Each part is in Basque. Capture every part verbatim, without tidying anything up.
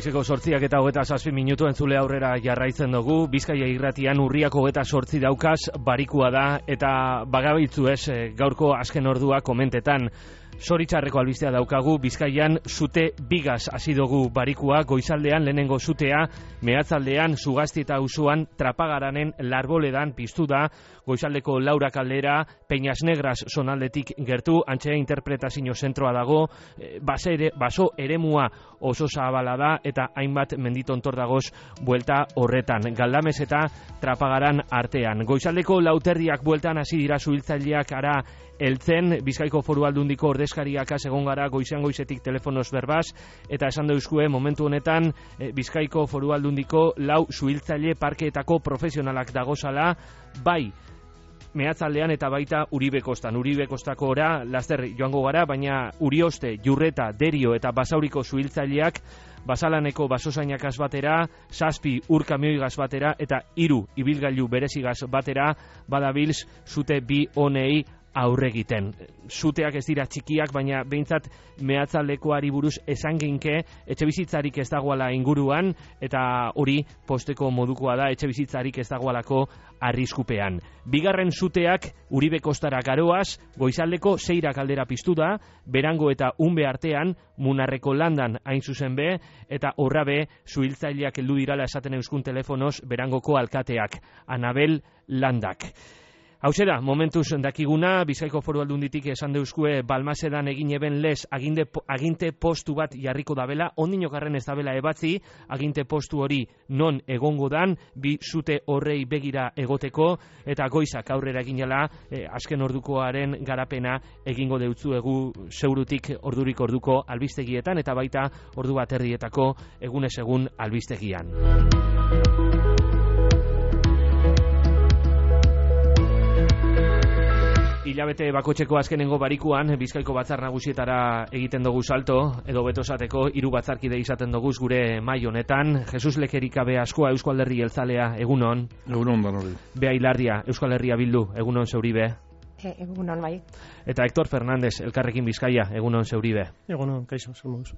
Goizeko sortziak eta hogeta zazpi minutu entzule aurrera jarraitzen dugu. Bizkaia irratian urriak hogeta sortzi daukaz barikua da eta bagabiltzu ez gaurko azken ordua komentetan. Zoritxarreko albistea daukagu, Bizkaian sute bigaz hasi dugu barikua, goizaldean lehenengo sutea, mehatzaldean Zugasti eta Auzoan Trapagaranen Larboledan piztu da, goizaldeko Laura kaldera, Peñas Negras zonaldetik gertu, antxe interpretazio zentroa dago, baso, ere, baso eremua oso zabala da, eta hainbat menditontor dagoz buelta horretan, Galdamez eta Trapagaran artean. Goizaldeko lauterdiak bueltan hasi dira zuhiltzaileak ara heltzen, Bizkaiko Foru Aldundiko ordezkariak egon gara goizean goizetik telefonoz berbaz, eta esan deuzkue momentu honetan e, Bizkaiko Foru Aldundiko lau zuhiltzaile parkeetako profesionalak dagozala, bai mehatzaldean eta baita Uribe Kostan. Uribe Kostako ora laster joango gara, baina Urioste, Jurreta, Derio eta Basauriko zuhiltzaileak Basalaneko basozainak batera, zazpi ur kamioigaz batera eta hiru ibilgailu berezigaz batera badabilz zute bi honei aurregiten. Zuteak ez dira txikiak, baina behintzat mehatzaldekoari buruz esan ginke etxe bizitzarik ez dagoala inguruan, eta hori posteko modukoa da, etxe bizitzarik ez dagoalako arriskupean. Bigarren zuteak Uribe Kostara garoaz, goizaldeko seirak aldera piztu da, Berango eta Unbe artean, Munarreko landan hain zuzen be, eta horrabe zuhiltzaileak heldu dirala esaten euskun telefonoz Berangoko alkateak, Anabel Landak. Hauze da, momentuz dakiguna, Bizkaiko Foru Aldunditik esan deuzkue Balmasedan egin eben lez aginte, aginte postu bat jarriko dabela, ondinokarren ez dabela ebatzi, aginte postu hori non egongo dan, bi zute horrei begira egoteko, eta goizak aurrera eginela, eh, azken ordukoaren garapena egingo deutzuegu zeurutik ordurik orduko albistegietan, eta baita ordu bat erdietako egunez egun albistegian. Hilabete bakotxeko azkenengo barikuan, Bizkaiko batzar nagusietara egiten dugu salto, edo beto esateko hiru batzarkide izaten dugu gure mai honetan. Jesus Lekerikabe askoa Eusko Alderdi Jeltzalea, egunon. Egunon, banori. Bea Hilarria, Euskal Herria Bildu, egunon Zeuribe. E, egunon, bai. Eta Hector Fernández, Elkarrekin Bizkaia, egunon Zeuribe. Egunon, kaixo, zer moduz.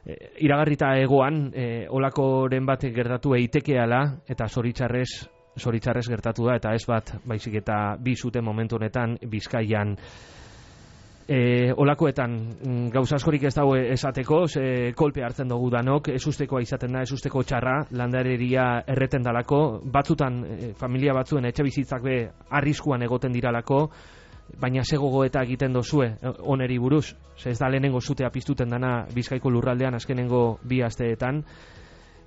E, iragarrita egoan, e, olakoren bat gertatu eitekeala, eta zoritxarrez, Zoritxarrez gertatu da, eta ez bat, baizik eta bi zute momentu honetan Bizkaian. E, olakoetan gauza askorik ez dago esateko, ze kolpe hartzen dugu danok, ez ustekoa izaten da, ez usteko txarra, landareria erreten dalako, batzutan e, familia batzuen etxe bizitzak be arriskuan egoten diralako, baina ze gogoeta egiten dozue oneri buruz, ze ez da lehenengo zutea piztuten dana Bizkaiko lurraldean azkenengo bi asteetan,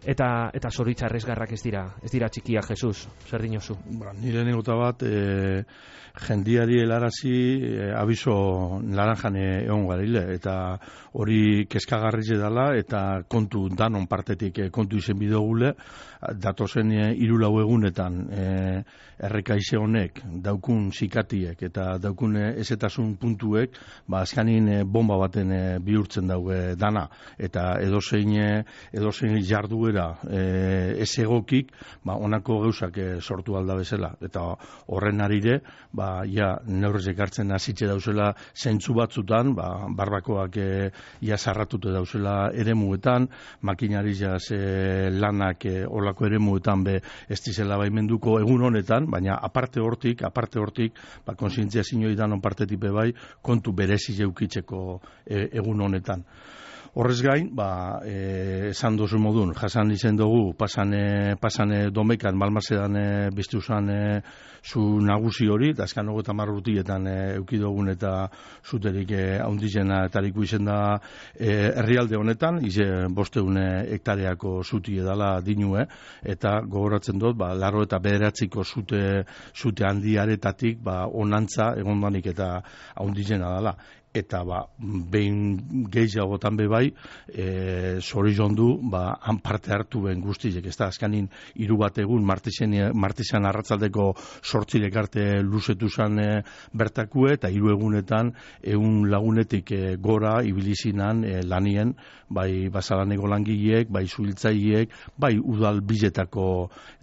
eta eta zoritxarrez garrak ez dira, ez dira txikiak, Jesus, zer dinozu? Ba, nire negota bat, e, jendiari helarazi e, abiso naranjan egon garile, eta hori kezkagarritze dela, eta kontu danon partetik e, kontu izen bidogule, datozen e, hiru lau egunetan e, errekaize honek, daukun zikatiek eta daukun e, ezetasun puntuek, ba, azkanin e, bomba baten e, bihurtzen dauge dana, eta edozein, e, edozein jarduera e, ez egokik, ba, onako gauzak e, sortu alda bezala, eta horren arire, ba, ja, neurrezek hartzen hasitze dauzela zentzu batzutan, ba, barbakoak e, ja zarratute dauzela eremuetan, makinari jaz e, lanak e, olako eremuetan be ez dizela baimenduko egun honetan, baina aparte hortik, aparte hortik, ba, konsientzia zinoi danon partetik be bai, kontu berezi jeukitzeko e, egun honetan. Horrez gain, ba, e, esan dozu modun, jasan izen dugu, pasane, pasane domekan, Balmasedan e, biztu zan e, zu nagusi hori, eta azkan hogeta marrutietan e, eukidogun eta zuterik e, haundizena etariku izen da e, herrialde honetan, ize bosteun hektareako zuti edala dinue, eta gogoratzen dut, ba, laro eta bederatziko zute, zute handiaretatik, ba, onantza egondanik eta haundizena dela. Eta ba, behin gehiagotan be bai, e, zorion du, ba, han parte hartu ben guztiek, ez da, azkanin hiru bat egun martizan arratzaldeko sortzilek arte luzetu zan e, bertakue, eta hiru egunetan egun lagunetik e, gora ibilizinan e, lanien, bai basalaneko langileek, bai zuhiltzaileek, bai udal biletako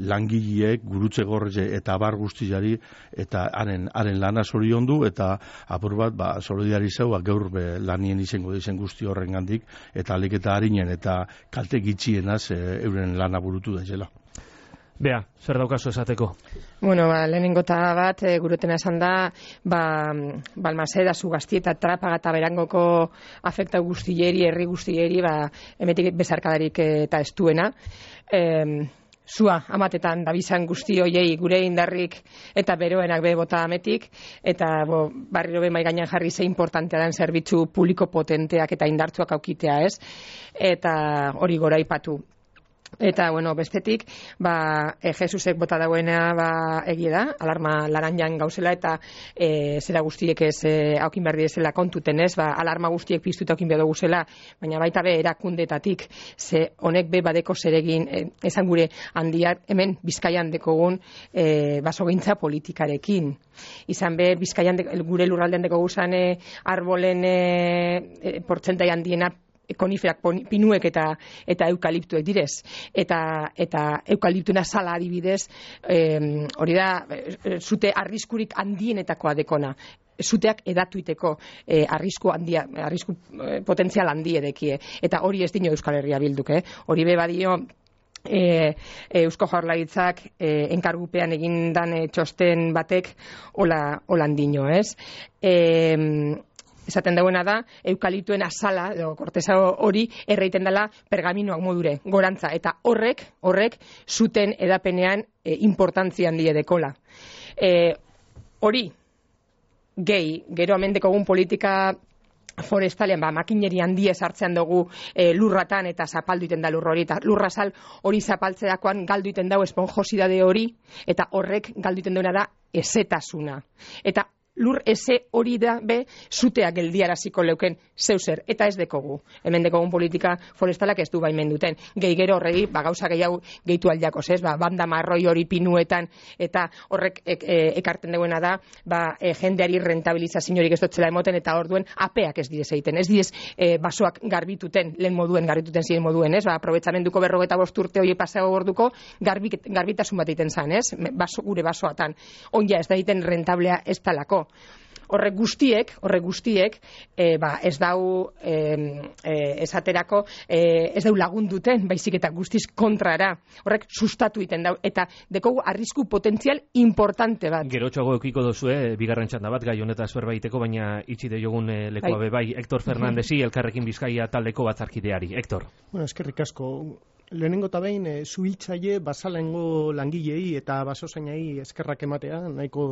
langileek, gurutze gorre eta bar guztiari, eta haren, haren lana zorion du, eta apur bat, ba, solidariza hau, gaur be, lanien izango dizen guzti horren gandik, eta alik eta harinen eta kalte gitxienaz e, euren lana burutu da zela. Bea, zer daukazu esateko? Bueno, ba, lehenengota bat, e, gurutena esan da, ba, Balmaseda, Zugazti eta Trapaga eta Berangoko afekta guztieri, herri guztieri, ba, emetik bezarkadarik eta estuena. E, Zua, amatetan, dabizan guzti hoiei gure indarrik eta beroenak be bota ametik, eta bo, barriro be mai gainean jarri ze importantea den zerbitzu publiko potenteak eta indartsuak aukitea, ez? Eta hori gora aipatu. Eta, bueno, bestetik, ba, e, Jesusek bota dauena, ba, egie da, alarma laranjan gauzela, eta e, zera guztiek ez e, haukin behar direzela kontuten, ez, ba, alarma guztiek piztuta haukin behar duguzela, baina baita be erakundetatik, ze honek be badeko zeregin, e, esan gure handiak, hemen Bizkaian dekogun e, basogintza politikarekin. Izan be, Bizkaian de, gure lurraldean deko guzan e, arbolen e, e, portzentai handiena koniferak, pinuek eta eta eukaliptuek direz. Eta eta eukaliptuna sala adibidez, eh, hori da, zute arriskurik handienetakoa dekona. Zuteak edatuiteko eh, arrisku handia, arrisku eh, potentzial handi edekie. Eta hori ez dino Euskal Herria Bilduk, eh? Hori be badio E, e, Eusko Jaurlaritzak e, enkargupean egindan e, txosten batek hola holandino, ez? E, esaten dauena da, eukaliptuen azala, edo korteza hori, erreiten dela pergaminoak modure, gorantza, eta horrek, horrek, zuten edapenean e, importantzia handia dekola. E, hori, gehi, gero amendekogun politika forestalean, ba, makineri handia sartzean dugu e, lurratan eta zapaldu iten da lur hori, eta lurrazal hori zapaltzeakoan galdu iten dago esponjosidade hori, eta horrek galdu iten duena da ezetasuna. Eta lur eze hori da be zutea geldiaraziko leuken zeuzer, eta ez dekogu. Hemen dekogun politika forestalak ez du baimen duten. Gehi gero horregi, ba, gauza gehiago gehitu aldiakoz, ez? Ba, banda marroi hori pinuetan, eta horrek e, e, ekarten duena da, ba, e, jendeari rentabilizaziorik ez dotzela emoten, eta orduen apeak ez direz egiten. Ez direz e, basoak garbituten, lehen moduen, garbituten ziren moduen, ez? Ba, aprobetsamenduko berrogeta bost urte hori paseo gorduko, garbik, garbitasun bat egiten zan, ez? Baso, gure basoatan. Onja ez da egiten rentablea ez talako. Horrek guztiek, horrek guztiek, e, ba, ez dau e, e, esaterako, e, ez dau lagunduten, baizik eta guztiz kontrara. Horrek sustatu iten dau, eta dekogu arrisku potentzial importante bat. Gerotxoago eukiko dozue, bigarren txanda bat, gai honetaz berbaiteko, baina itxi de jogun e, lekoa bai. Bai, Hector Fernandesi, Elkarrekin Bizkaia taldeko batzarkideari. Hector. Bueno, eskerrik asko. Lehenengo eta behin, e, zuhiltzaile basalengo langilei eta basozainai eskerrak ematea nahiko,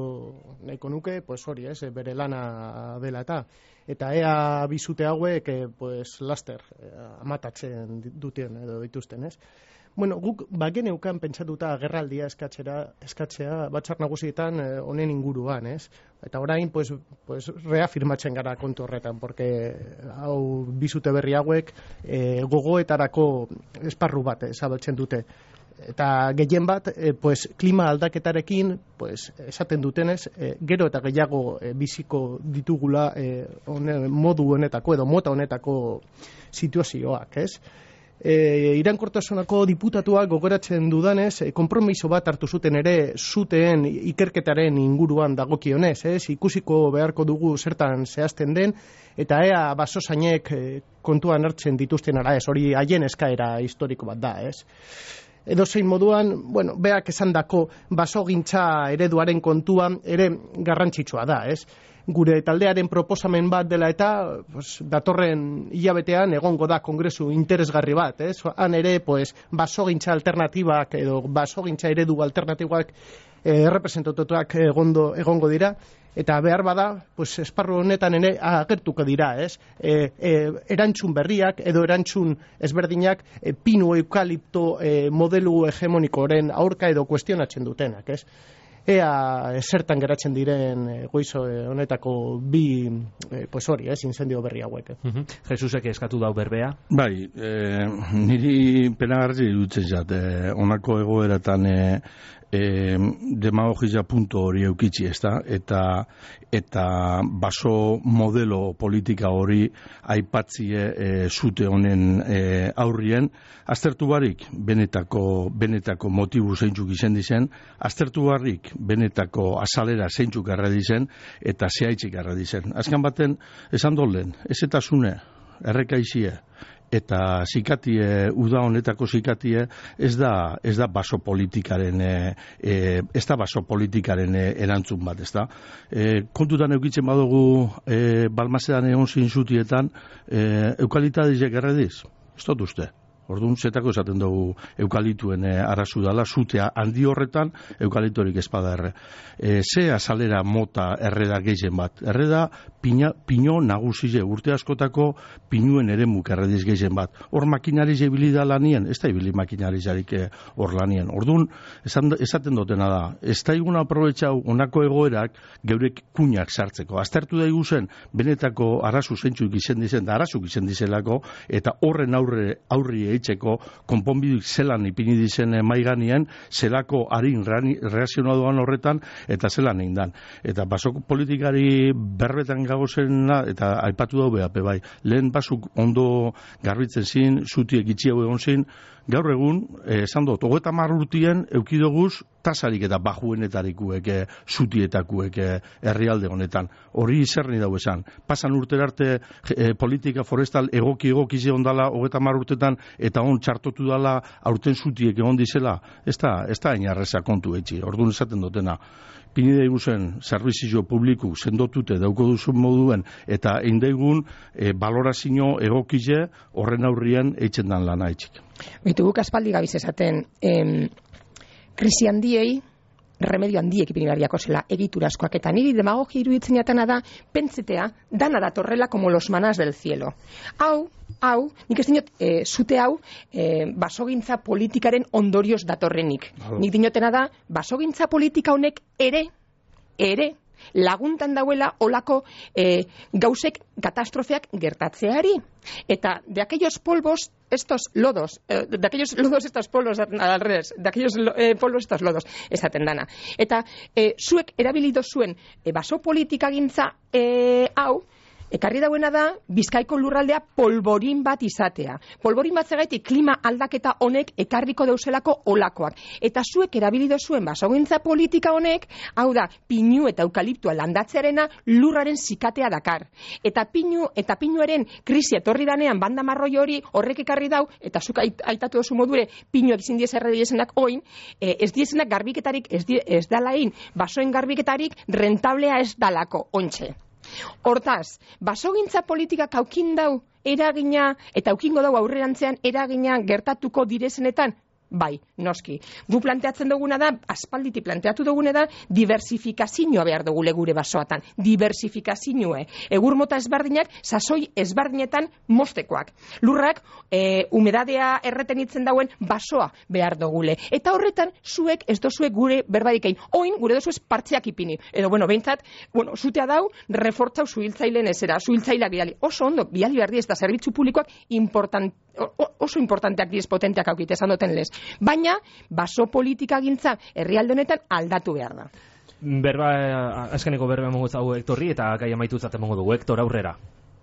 nahiko nuke, pues hori, ez, bere lana dela eta. Eta ea bizute hauek, e, pues, laster, e, amatatzen duten edo dituzten, ez. Bueno, guk bagen eukan pentsatuta agerraldia eskatzera, eskatzea batzar nagusietan honen e, inguruan, ez? Eta orain, pues, pues, reafirmatzen gara kontu horretan, porque hau bizute berri hauek e, gogoetarako esparru bat zabaltzen dute. Eta gehien bat, e, pues, klima aldaketarekin, pues, esaten dutenez, e, gero eta gehiago e, biziko ditugula e, one, modu honetako edo mota honetako situazioak, ez? E, Iraunkortasuneko diputatuak gogoratzen dudanez, e, konpromiso bat hartu zuten ere zuteen ikerketaren inguruan dagokionez, ez? Ikusiko beharko dugu zertan zehazten den, eta ea basozainek e, kontuan hartzen dituzten ara ez, hori haien eskaera historiko bat da, ez? Edo zein moduan, bueno, beak esandako basogintza ereduaren kontuan ere garrantzitsua da, ez? Gure taldearen proposamen bat dela eta pues, datorren hilabetean egongo da kongresu interesgarri bat, ez? Han ere, pues, basogintza alternatibak edo basogintza eredu alternatibak eh, errepresentatuak egondo, egongo dira, eta behar bada, pues, esparru honetan ere agertuko dira, ez? E, e, erantzun berriak edo erantzun ezberdinak e, pinu eukalipto e, modelu hegemonikoren aurka edo kuestionatzen dutenak, ez? Ea zertan geratzen diren e, goizo e, honetako bi e, pues hori, ez, incendio berri hauek. Eh? Uh-huh. Jesusek eskatu dau berbea? Bai, e, niri penagarri dutzen zat, e, honako egoeratan e, E, demagogia punto hori eukitzi, ezta? Eta eta baso modelo politika hori aipatzie e, zute honen e, aurrien, aztertu barik benetako, benetako motibu zeintzuk izen dizen, aztertu barik benetako azalera zeintzuk garra dizen, eta zehaitzik garra dizen. Azkan baten, esan dolen, ez eta zune, errekaizie, eta zikatie, uda honetako zikatie, ez da, ez da baso politikaren, e, e, ez da baso politikaren e, erantzun bat, ez da. E, kontutan eukitzen badugu, e, Balmasedan egon zintzutietan, e, eukalitadizek errediz, ez dut uste. Orduan, zetako esaten dugu eukalituen e, arazu dala, zutea handi horretan, eukalitorik espada erre. E, ze azalera mota erreda gehien bat. Erreda pina, pino nagusize, urte askotako pinuen ere muk errediz gehien bat. Hor makinari zebili da lanien, ez da ibili makinari zarik hor lanien. Orduan, esan, esaten dutena da, ez da igun aprobetxau onako egoerak geurek kuñak sartzeko. Aztertu da iguzen, benetako arazu zeintzuk izen dizen, da arazuk izen dizelako, eta horren aurre, aurri eitzeko konponbiduik zelan ipini dizen maiganien, zelako harin reazionaduan horretan, eta zelan egin dan. Eta basok politikari berbetan gagozena, eta aipatu dau behape bai. Lehen basuk ondo garbitzen zin, zutiek itxiago egon zin, gaur egun, eh, esan dut, hogeta marrurtien eukidoguz tasarik eta bajuenetarikuek, eh, zutietakuek eh, herrialde honetan. Hori zerni dau esan. Pasan urter arte eh, politika forestal egoki egokize ondala hogeta marrurtetan eta on txartotu dala aurten zutiek egon dizela. Ez da, ez da inarreza kontu etxi. Orduan esaten dutena. Pinide iguzen zerbizio publiku sendotute dauko duzun moduen eta indaigun e, balorazio egokize horren aurrien eitzen dan lana etxik. Bitu guk aspaldi gabiz esaten, em, krisi handiei, remedio handiek ipinibariako zela egitura askoak, eta niri demagogia iruditzen jatana da, pentsetea, dana datorrela como los manas del cielo. Hau, hau, nik ez dinot, e, zute hau, e, basogintza politikaren ondorioz datorrenik. Hau. Nik dinotena da, basogintza politika honek ere, ere, laguntan dauela olako e, gauzek katastrofeak gertatzeari. Eta de aquellos polvos, estos lodos, eh, de aquellos lodos, estos polvos, al revés, de aquellos eh, polvos, estos lodos, esaten dana. Eta eh, zuek erabilido zuen eh, baso politika gintza eh, hau, ekarri dauena da, Bizkaiko lurraldea polborin bat izatea. Polborin bat zegaitik klima aldaketa honek ekarriko deuselako olakoak. Eta zuek erabilido zuen basogintza politika honek, hau da, pinu eta eukaliptua landatzearena lurraren zikatea dakar. Eta pinu eta pinuaren krisi etorri danean banda marroi hori horrek ekarri dau, eta zuk aitatu dozu modure, pinu ezin diez erre diesenak oin, eh, ez diesenak garbiketarik, ez, die, ez dalain, basoen garbiketarik rentablea ez dalako, ontxe. Hortaz, basogintza politikak aukin dau eragina eta aukingo dau aurrerantzean eragina gertatuko direzenetan? Bai, noski. Gu planteatzen duguna da, aspalditi planteatu duguna da, diversifikazioa behar dugule gure basoatan. Diversifikazioa. Egur mota ezberdinak, sasoi ezberdinetan mostekoak. Lurrak, e, humedadea erretenitzen dauen basoa behar dugule. Eta horretan, zuek, ez dozuek gure berbaikein. Oin, gure dozuez partziak ipini. Edo, bueno, behintzat, bueno, zutea dau, refortzau zuhiltzailen ezera, zuhiltzaileak bidali. Oso ondo, bidali behar diez, eta zerbitzu publikoak important, oso importanteak diez potenteak aukite esan duten lez. Baina, baso politika gintza herrialde honetan aldatu behar da. Berba, azkeneko berba emongo zau Hektorri eta gai amaitu zaten emongo dugu. Hektor, aurrera.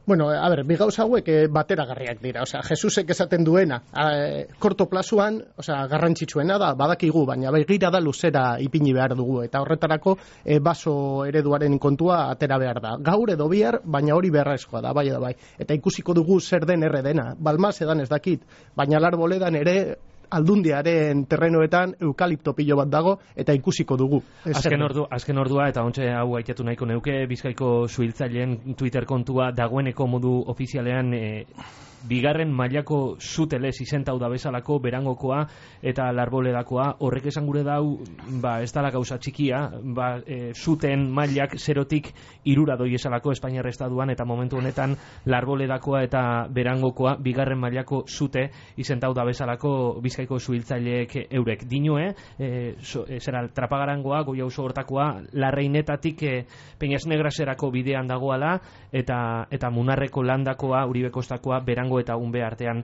Bueno, a ver, bi gauza hauek eh, bateragarriak dira. Osea, Jesusek esaten duena, eh, korto plazuan, osea, garrantzitsuena da, badakigu, baina begira da luzera ipini behar dugu. Eta horretarako, eh, baso ereduaren kontua atera behar da. Gaur edo bihar, baina hori beharrezkoa da, bai edo bai. Eta ikusiko dugu zer den erre dena. Balmasedan ez dakit, baina Larboledan ere aldundiaren terrenoetan eukalipto pilo bat dago eta ikusiko dugu. Azken, ordu, azken ordua eta ontxe hau aitatu nahiko neuke, Bizkaiko suhiltzaileen Twitter kontua dagoeneko modu ofizialean e, bigarren mailako zutelez izentau da bezalako berangokoa eta larboledakoa, horrek esan gure dau, ba, ez dala gauza txikia, ba, e, zuten mailak zerotik irura doi esalako Espainiar Estaduan eta momentu honetan larboledakoa eta berangokoa bigarren mailako zute izentau da bezalako Bizkaiko suhiltzaileek eurek. Dinue, e, so, e, zera trapagarangoa, goia oso hortakoa, larreinetatik e, Peñas Negraserako bidean dagoala eta, eta Munarreko landakoa, Uribe Kostakoa, berango eta unbe artean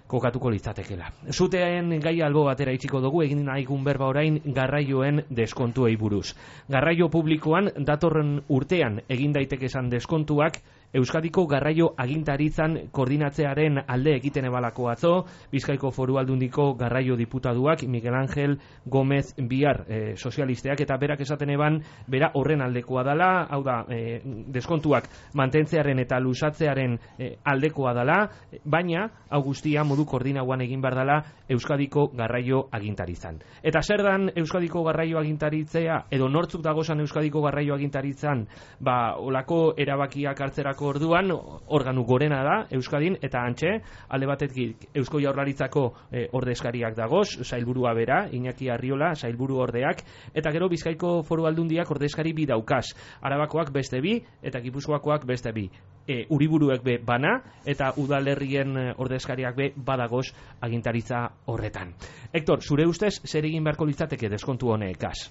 kokatuko litzatekela. Zuteen gai albo batera itxiko dugu, egin nahigun berba orain garraioen deskontuei buruz. Garraio publikoan datorren urtean egin daiteke esan deskontuak Euskadiko garraio agintaritzan koordinatzearen alde egiten ebalako atzo, Bizkaiko Foru Aldundiko garraio diputaduak Miguel Ángel Gómez Biar e, sozialisteak, eta berak esaten eban, bera horren aldekoa dela, hau da, e, deskontuak mantentzearen eta lusatzearen e, aldekoa dela, baina hau guztia modu koordinauan egin behar dela Euskadiko garraio agintaritzan. Eta zer dan Euskadiko garraio agintaritzea, edo nortzuk dagozan Euskadiko garraio agintaritzan, ba, olako erabakiak hartzerak orduan organu gorena da Euskadin, eta antxe alde batetik Eusko Jaurlaritzako e, ordezkariak dagoz, sailburua bera, Iñaki Arriola, sailburu ordeak, eta gero Bizkaiko Foru Aldundiak ordezkari bi daukaz, Arabakoak beste bi eta Gipuzkoakoak beste bi. E, Uriburuek be bana eta udalerrien ordezkariak be badagoz agintaritza horretan. Hector, zure ustez zer egin beharko litzateke deskontu honekaz?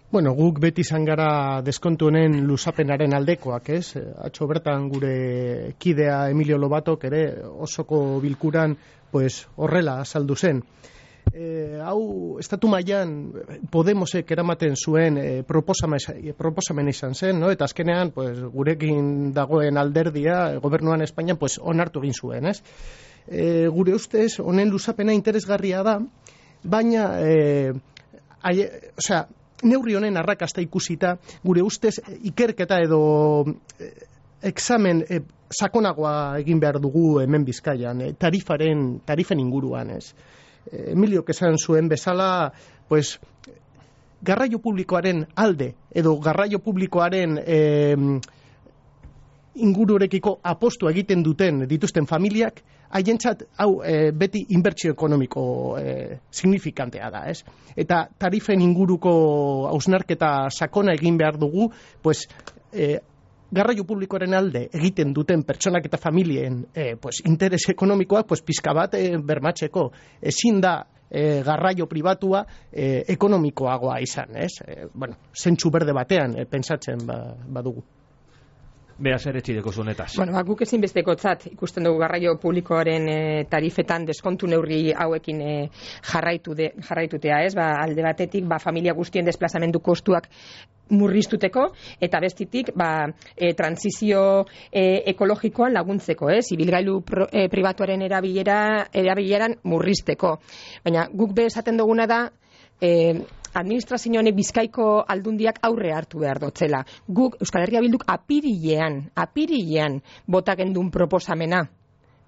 Bueno, guk beti izan gara deskontu honen luzapenaren aldekoak, ez? Atzo bertan gure kidea Emilio Lobatok ere osoko bilkuran pues horrela azaldu zen. E, hau estatu mailan Podemosek eramaten zuen e, proposamen, proposamen izan zen, no? Eta azkenean pues gurekin dagoen alderdia gobernuan Espainian pues onartu egin zuen, ez? E, gure ustez honen luzapena interesgarria da, baina e, aie, osea, neurri honen arrakasta ikusita, gure ustez ikerketa edo eh, examen eh, sakonagoa egin behar dugu hemen Bizkaian, eh, tarifaren, tarifen inguruan, ez. Eh, Emilio esan zuen bezala, pues, garraio publikoaren alde, edo garraio publikoaren eh, ingururekiko apostu egiten duten dituzten familiak, haientzat hau e, beti inbertsio ekonomiko e, signifikantea da, ez? Eta tarifen inguruko hausnarketa sakona egin behar dugu, pues, e, garraio publikoaren alde egiten duten pertsonak eta familien e, pues, interes ekonomikoak pues, pizka bat e, bermatzeko. Ezin da e, garraio pribatua e, ekonomikoagoa izan, ez? E, bueno, zentsu berde batean e, pentsatzen ba, badugu. Bea zer etxideko zunetaz. Bueno, ba, guk ezinbestekotzat ikusten dugu garraio publikoaren e, tarifetan deskontu neurri hauekin e, jarraitu de, jarraitutea, ez? Ba, alde batetik, ba, familia guztien desplazamendu kostuak murriztuteko, eta bestitik, ba, e, transizio e, ekologikoan laguntzeko, ez? Ibilgailu pro, e, pribatuaren erabilera, erabileran murrizteko. Baina guk be esaten duguna da, e, administrazio honek Bizkaiko aldundiak aurre hartu behar dotzela. Guk Euskal Herria Bilduk apirilean, apirilean bota gendun proposamena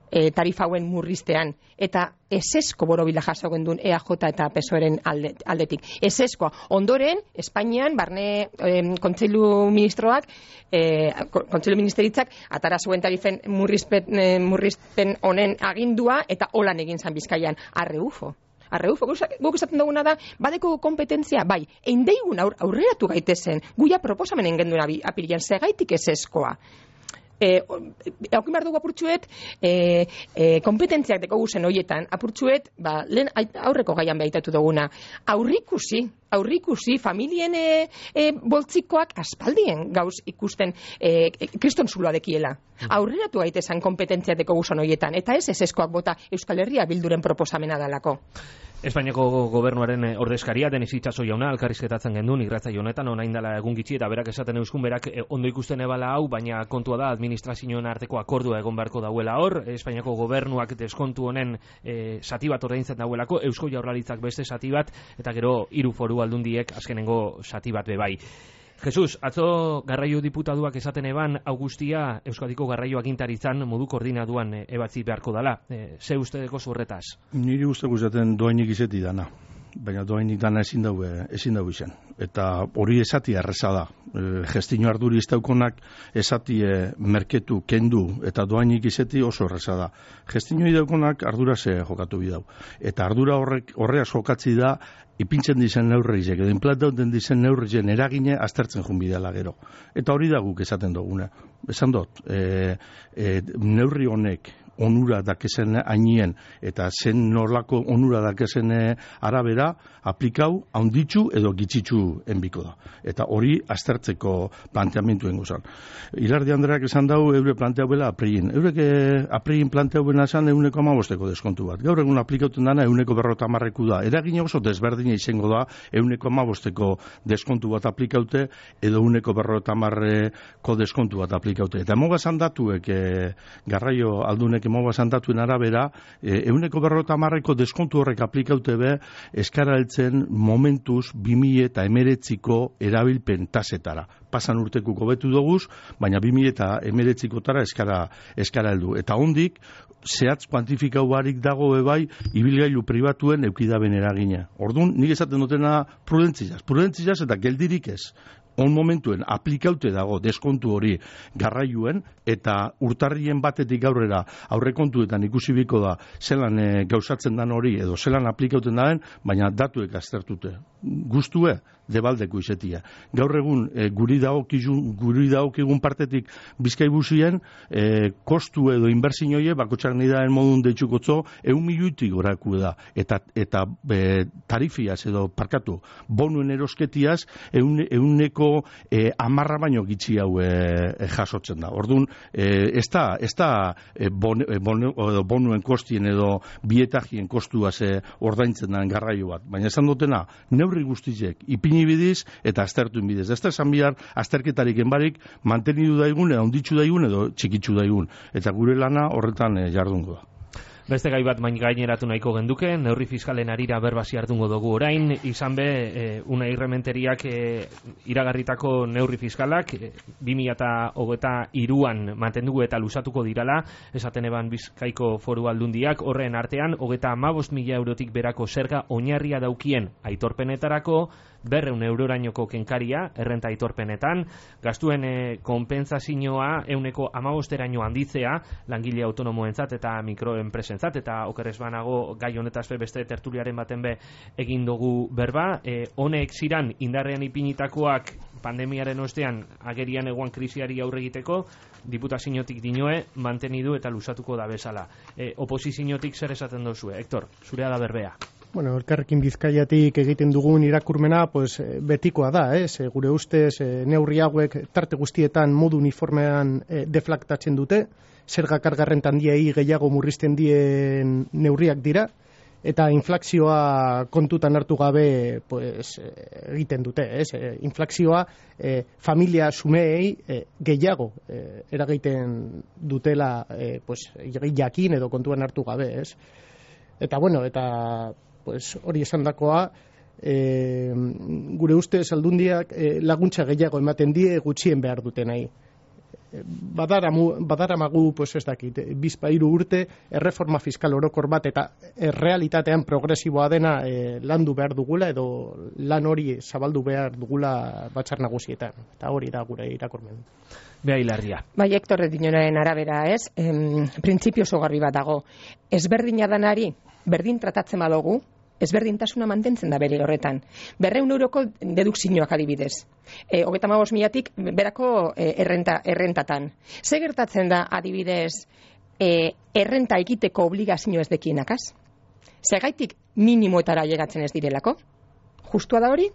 e, tarifauen murriztean, eta esesko borobila jaso gendun E A J eta P S O E-ren alde, aldetik. Eseskoa. Ondoren, Espainian, barne e, kontseilu ministroak, e, kontseilu ministeritzak, atara zuen tarifen murrizpen, e, murrizpen honen agindua, eta holan egin zan Bizkaian. Arreufo. Arreufo, guk esaten duguna da, badeko kompetentzia, bai, eindeigun aur, aurreratu gaitezen, guia proposamenen genduna apirilean, segaitik eseskoa. E, Haukin behar dugu apurtxuet, e, e, kompetentziak deko guzen horietan, apurtxuet, ba, lehen aurreko gaian behitatu duguna, aurrikusi, aurrikusi, familien e, e, boltzikoak aspaldien gauz ikusten e, e, kriston zuloa dekiela. Aurreratu gaitezen kompetentziak deko guzen horietan, eta ez eseskoak bota Euskal Herria Bilduren proposamena dalako. Espainiako gobernuaren ordezkaria Denis Itxaso jauna elkarrizketatzen gendun irratza honetan orain dela egun gitxi, eta berak esaten euskun berak ondo ikusten ebala hau, baina kontua da administrazioen arteko akordua egon beharko dauela hor. Espainiako gobernuak deskontu honen e, sati bat ordaintzen dauelako, Eusko Jaurlaritzak beste sati bat, eta gero hiru foru aldundiek azkenengo sati bat bebai. Jesus, atzo garraio diputaduak esaten eban Augustia Euskadiko garraio agintaritzan modu koordinaduan e, ebatzi beharko dala. E, ze uste deko zurretaz? Niri uste guzaten doainik izeti dana, baina doainik dana ezin daue, ezin daue izan. Eta hori esati erreza da. E, gestino arduri iztaukonak esati e, merketu, kendu eta doainik izeti oso erreza da. Gestino idaukonak ardura ze jokatu bidau. Eta ardura horrek horreaz jokatzi da ipintzen dizen neurrizek, edo implantauten dizen neurrizen eragine aztertzen jun bidela gero. Eta hori da guk esaten duguna. Esan dut, e, e, neurri honek onura dakezen hainien eta zen norlako onura dakezen arabera aplikau haunditzu edo gitzitzu enbiko da. Eta hori aztertzeko planteamenduen gozan. Ilardi Andreak esan dau eure planteau bela apregin. Eurek apregin planteau bela esan euneko amabosteko deskontu bat. Gaur egun aplikauten dana euneko berrota marreku da. Eragin oso desberdina izango da euneko amabosteko deskontu bat aplikaute edo euneko berrota marreko deskontu bat aplikaute. Eta moga zandatuek e, garraio aldunek moga zandatuen arabera e, euneko berrota marreko deskontu horrek aplikaute be eskara heltzen momentuz bi mila eta emeretziko erabilpen tasetara. Pasan urteko hobetu doguz, baina bi mila eta emeretzikotara eskara, eskara heldu. Eta hondik, zehatz kuantifikau barik dago ebai, ibilgailu pribatuen eukidaben eragina. Orduan, nik esaten dutena prudentzizaz. Prudentzizaz eta geldirik ez. On momentuen aplikaute dago deskontu hori garraioen eta urtarrien batetik aurrera aurrekontuetan ikusi biko da zelan e, gauzatzen dan hori edo zelan aplikauten daen, baina datuek aztertute. Guztue, debaldeko izetia. Gaur egun e, guri daokizun, guri daokigun partetik Bizkaibusien e, kostu edo inbertsioie bakotxak nidaen modun deitsukotzo eun miliutik goraku da. Eta, eta e, tarifiaz edo parkatu bonuen erosketiaz eun, euneko e, amarra baino gitzi hau e, e, jasotzen da. Orduan, e, ez da, ez da e, bon, e, bon, edo bonuen kostien edo bietajien kostuaz e, ordaintzen den garraio bat. Baina esan dutena, neurri guztizek, ipini bidiz eta aztertuen bidez. Ez da esan bihar, azterketarik enbarik mantenidu daigun, edo onditzu daigun, edo txikitzu daigun. Eta gure lana horretan e, jardungo da. Beste gai bat main gaineratu nahiko genduke, neurri fiskalen arira berbasi hartungo dugu orain, izan be, e, una irrementeriak e, iragarritako neurri fiskalak, e, bi mila hogeita hiruan mantendugu eta lusatuko dirala, esaten eban Bizkaiko Foru Aldundiak, horren artean, hogeita hamabost mila eurotik berako zerga oinarria daukien aitorpenetarako, berreun eurorainoko kenkaria, errenta aitorpenetan, gastuen e, konpentsazioa euneko hamabosteraino handitzea, langile autonomoentzat eta mikroenpresentzat, eta okerrez banago gai honetaz be beste tertuliaren baten be egin dugu berba, e, honek ziran indarrean ipinitakoak pandemiaren ostean agerian eguan krisiari aurre egiteko, diputaziotik dinoe mantenidu eta lusatuko da bezala. E, oposiziotik zer esaten dozue? Hector, zurea da berbea. Bueno, elkarrekin Bizkaiatik egiten dugun irakurmena, pues, betikoa da, ez? Gure ustez, neurri hauek tarte guztietan modu uniformean e, deflaktatzen dute, zerga karga renta handiei gehiago murrizten dien neurriak dira, eta inflazioa kontutan hartu gabe pues, egiten dute, ez? E, inflazioa e, familia sumeei e, gehiago e, eragiten dutela e, pues, jakin edo kontuan hartu gabe, ez? Eta bueno, eta pues, hori esandakoa, e, gure ustez aldundiak e, laguntza gehiago ematen die gutxien behar dutenai. Badaramu, badaramagu, pues ez dakit, bizpairu urte, erreforma fiskal orokor bat eta errealitatean progresiboa dena e, landu behar dugula edo lan hori zabaldu behar dugula batzar nagusietan. Eta hori da gure irakurmen. Bea Hilarria. Bai, Hector Edinoren arabera, ez? Em, printzipio oso garbi bat dago. Ezberdina danari, berdin tratatzen badugu, ezberdintasuna mantentzen da bere horretan. Berreun euroko dedukzioak adibidez. E, hogeita hamabost milatik berako e, errenta, errentatan. Ze gertatzen da adibidez e, errenta egiteko obligazio ez dekienakaz? Zegaitik minimoetara llegatzen ez direlako? Justua da hori?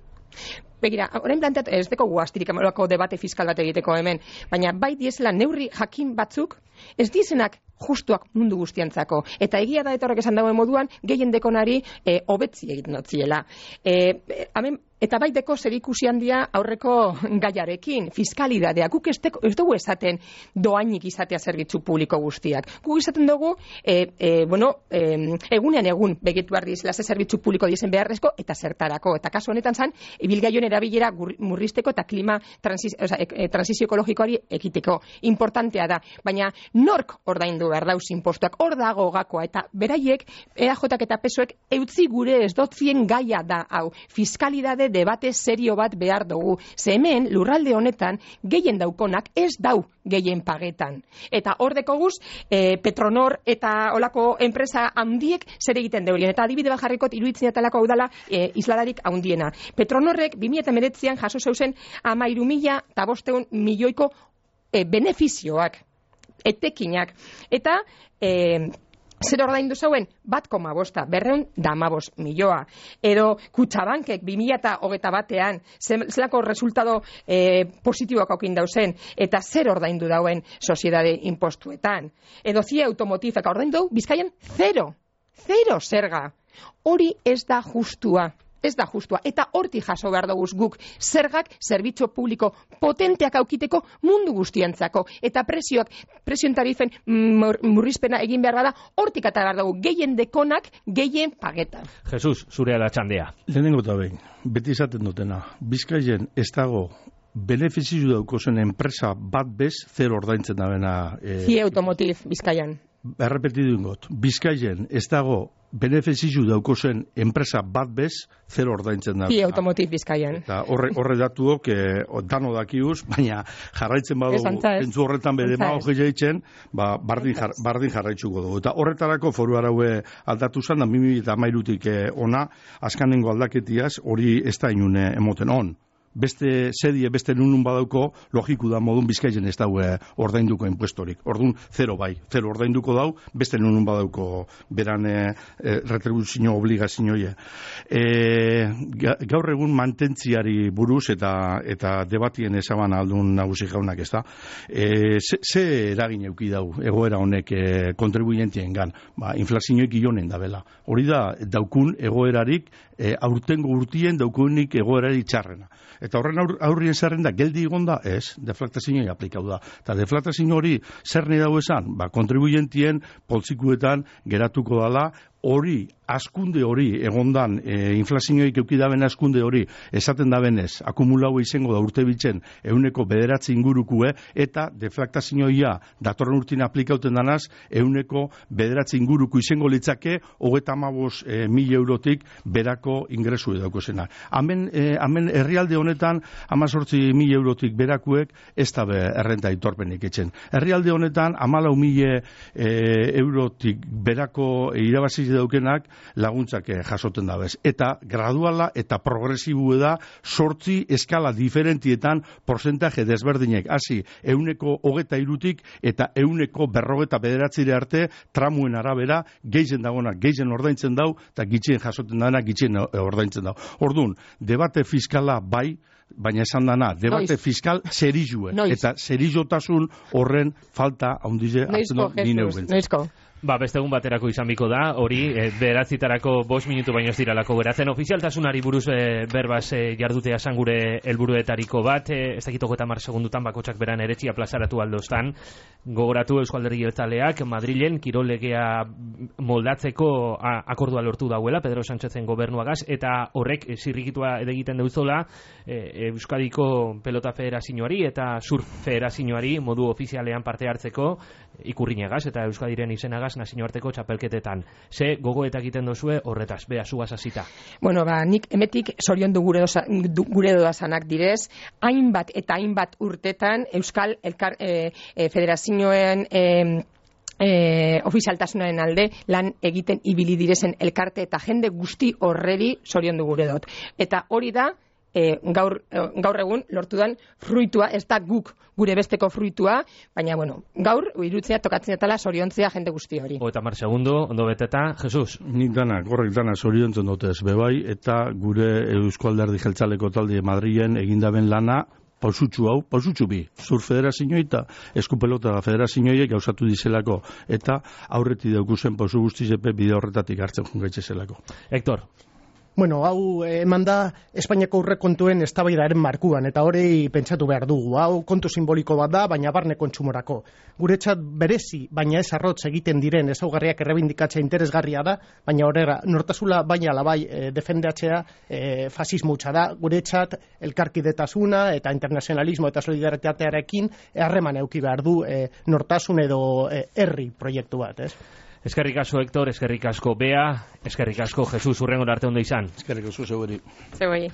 Begira, orain planteat ez deko guaztirik amarako debate fiskal bat egiteko hemen, baina bai diezela neurri jakin batzuk ez diezenak justuak mundu guztiantzako. Eta egia da eta horrek esan dagoen moduan, gehien dekonari e, hobetzi egiten notziela. E, hemen, eta bai deko zer ikusi handia aurreko gaiarekin, fiskalidadea. Guk ez, deko, ez dugu esaten doainik izatea zerbitzu publiko guztiak. Guk esaten dugu, e, e, bueno, e, egunean egun begetu behar dizela ze zerbitzu publiko dizen beharrezko eta zertarako. Eta kasu honetan zan, ibilgaion erabilera murrizteko eta klima transiz, oza, e, transizio ekologikoari ekiteko. Importantea da. Baina nork ordaindu behar dauz impostuak, hor dago gakoa, eta beraiek, E A Jak eta P S Oek eutzi gure ez dotzien gaia da, hau, fiskalidade debate serio bat behar dugu. Ze hemen, lurralde honetan, gehien daukonak ez dau gehien pagetan. Eta hor dekoguz, e, Petronor eta olako enpresa handiek zer egiten deulien. Eta adibide bat jarrikot, iruditzen atalako hau dala e, isladarik handiena. Petronorrek, bi mila hemeretzian jaso zeuzen, hamairu mila eta bosteun milioiko e, benefizioak. etekinak. Eta e, zer ordaindu zauen, bat koma bosta, berreun damabos milioa. Edo Kutxabankek bi mila hogeita batean, zelako resultado eh, positiboak aukin dauzen, eta zer ordaindu dauen soziedade impostuetan. Edo Cia Automotifek ordaindu dau, Bizkaian zero, zero zerga. Hori ez da justua. Ez da justua, eta horti jaso behar dugu guk zergak zerbitzu publiko potenteak aukiteko mundu guztientzako, eta presioak, presioen tarifen mur, murrizpena egin behar bada, hortik eta behar dugu gehien dekonak, gehien pageta. Jesus, zurea da txandea. Lehenengo eta behin, beti izaten dutena, Bizkaien ez dago benefiziu dauko zen enpresa bat bez, zer ordaintzen da bena... Eh, Cia Automotif, Bizkaian. Errepetidu ingot, Bizkaien ez dago benefiziu dauko zen enpresa bat bez, zer ordaintzen da. Cia Automotif Bizkaian. Eta horre, horre datuok, eh, dano dakiuz, baina jarraitzen badugu, entzu horretan bedema hoge jaitzen, ba, bardin, jar, bardin jarraitzuko dugu. Eta horretarako foru araue aldatu zen, da mimi eta mairutik eh, ona, askanengo aldaketiaz, hori ez da inune emoten on. Beste sedie, beste nunun badauko, logiku da modun Bizkaien ez daue ordainduko impuestorik. Ordun zero bai, zero ordainduko dau, beste nunun badauko beran e, e, retribuzio obligazioie. E, gaur egun mantentziari buruz eta eta debatien ezaban aldun nagusi jaunak ez da. E, ze, ze eragin euki dau egoera honek e, kontribuientien gan, ba, inflazioik ionen da bela. Hori da, daukun egoerarik, e, aurtengo urtien daukunik egoerarik txarrena. Eta horren aur, aurrien zerrenda, geldi egonda, ez, deflaktazioa aplikau da. Eta deflaktazio hori, zer nahi dago esan, ba, kontribuientien poltsikuetan geratuko dala, hori, askunde hori, egondan, e, inflazioik eukidaben askunde hori, esaten da benez, akumulau izango da urte bitzen, euneko bederatzi ingurukue, eta deflaktazioa datorren urtin aplikauten danaz, euneko bederatzi inguruku izango litzake, hogeta amabos e, mil eurotik berako ingresu edauko zena. Hemen, e, hemen herrialde honetan, amazortzi mil eurotik berakuek, ez da be errenta itorpenik etxen. Herrialde honetan, amalau mil e, eurotik berako e, irabazi daukenak laguntzak jasoten dabez. Eta graduala eta progresibu da sortzi eskala diferentietan porcentaje desberdinek. Hasi, euneko hogeta irutik eta euneko berrogeta bederatzire arte tramuen arabera geizen dagona, geizen ordaintzen dau eta gitxien jasoten dana, gitxien ordaintzen dau. Orduan, debate fiskala bai, baina esan dana, debate Noiz. Fiskal zerizue. Eta zerizotasun horren falta haundize hartzen dut nine ubentzen. Noizko. Ba, beste egun baterako izan biko da, hori, e, beratzitarako bost minutu baino ez diralako geratzen. Ofizialtasunari buruz e, berbaz e, jardutea esan gure helburuetariko bat, e, ez dakit hogeita hamar segundutan bakotsak beran eretzia plazaratu aldoztan. Gogoratu Eusko Alderdi Jeltzaleak Madrilen kirol legea moldatzeko a, akordua lortu dauela, Pedro Sánchezen gobernuagaz, eta horrek e, zirrikitua edegiten deuzola e, Euskadiko Pelota Federazioari eta Surf Federazioari modu ofizialean parte hartzeko ikurrinegaz eta Euskadiren izenagaz nazioarteko txapelketetan. Ze gogoetak egiten dozue horretaz, bea zugaz hasita. Bueno, ba, nik emetik sorion du gure, doza, gure doazanak direz, hainbat eta hainbat urtetan Euskal Elkar, e, e, Federazioen e, e, ofizialtasunaren alde lan egiten ibili direzen elkarte eta jende guzti horreri sorion du gure dot. Eta hori da, E, gaur, gaur egun lortudan fruitua, ez da guk gure besteko fruitua, baina bueno, gaur irutzea tokatzen etala soriontzea jende guzti hori. Eta mar segundo, ondo beteta, Jesus. Nik dana, gorrek dana soriontzen dutez bebai, eta gure Eusko Alderdi Jeltzaleko talde Madrilen egindaben lana, pausutxu hau, pausutxu bi, Zur Federazioa eta Eskupelota Federazioa gauzatu dizelako, eta aurreti daukuzen pausu guztizepe bide horretatik hartzen jungaitze zelako. Hector. Bueno, hau eman da Espainiako aurrekontuen eztabaidaren markuan, eta hori pentsatu behar dugu. Hau kontu simboliko bat da, baina barne kontsumorako. Guretzat berezi, baina ez arrotz egiten diren ezaugarriak errebindikatzea interesgarria da, baina horrela, nortasula baina labai e, defendatzea e, fasismo hutsa da. Guretzat elkarkidetasuna eta internazionalismo eta solidaritatearekin harreman eduki behar du e, nortasun edo e, herri proiektu bat, ez? Eskerrik asko, Hector, eskerrik asko, Bea, eskerrik asko, Jesus, urrengo arte ondo izan. Eskerrik asko, zeueri. Zeueri.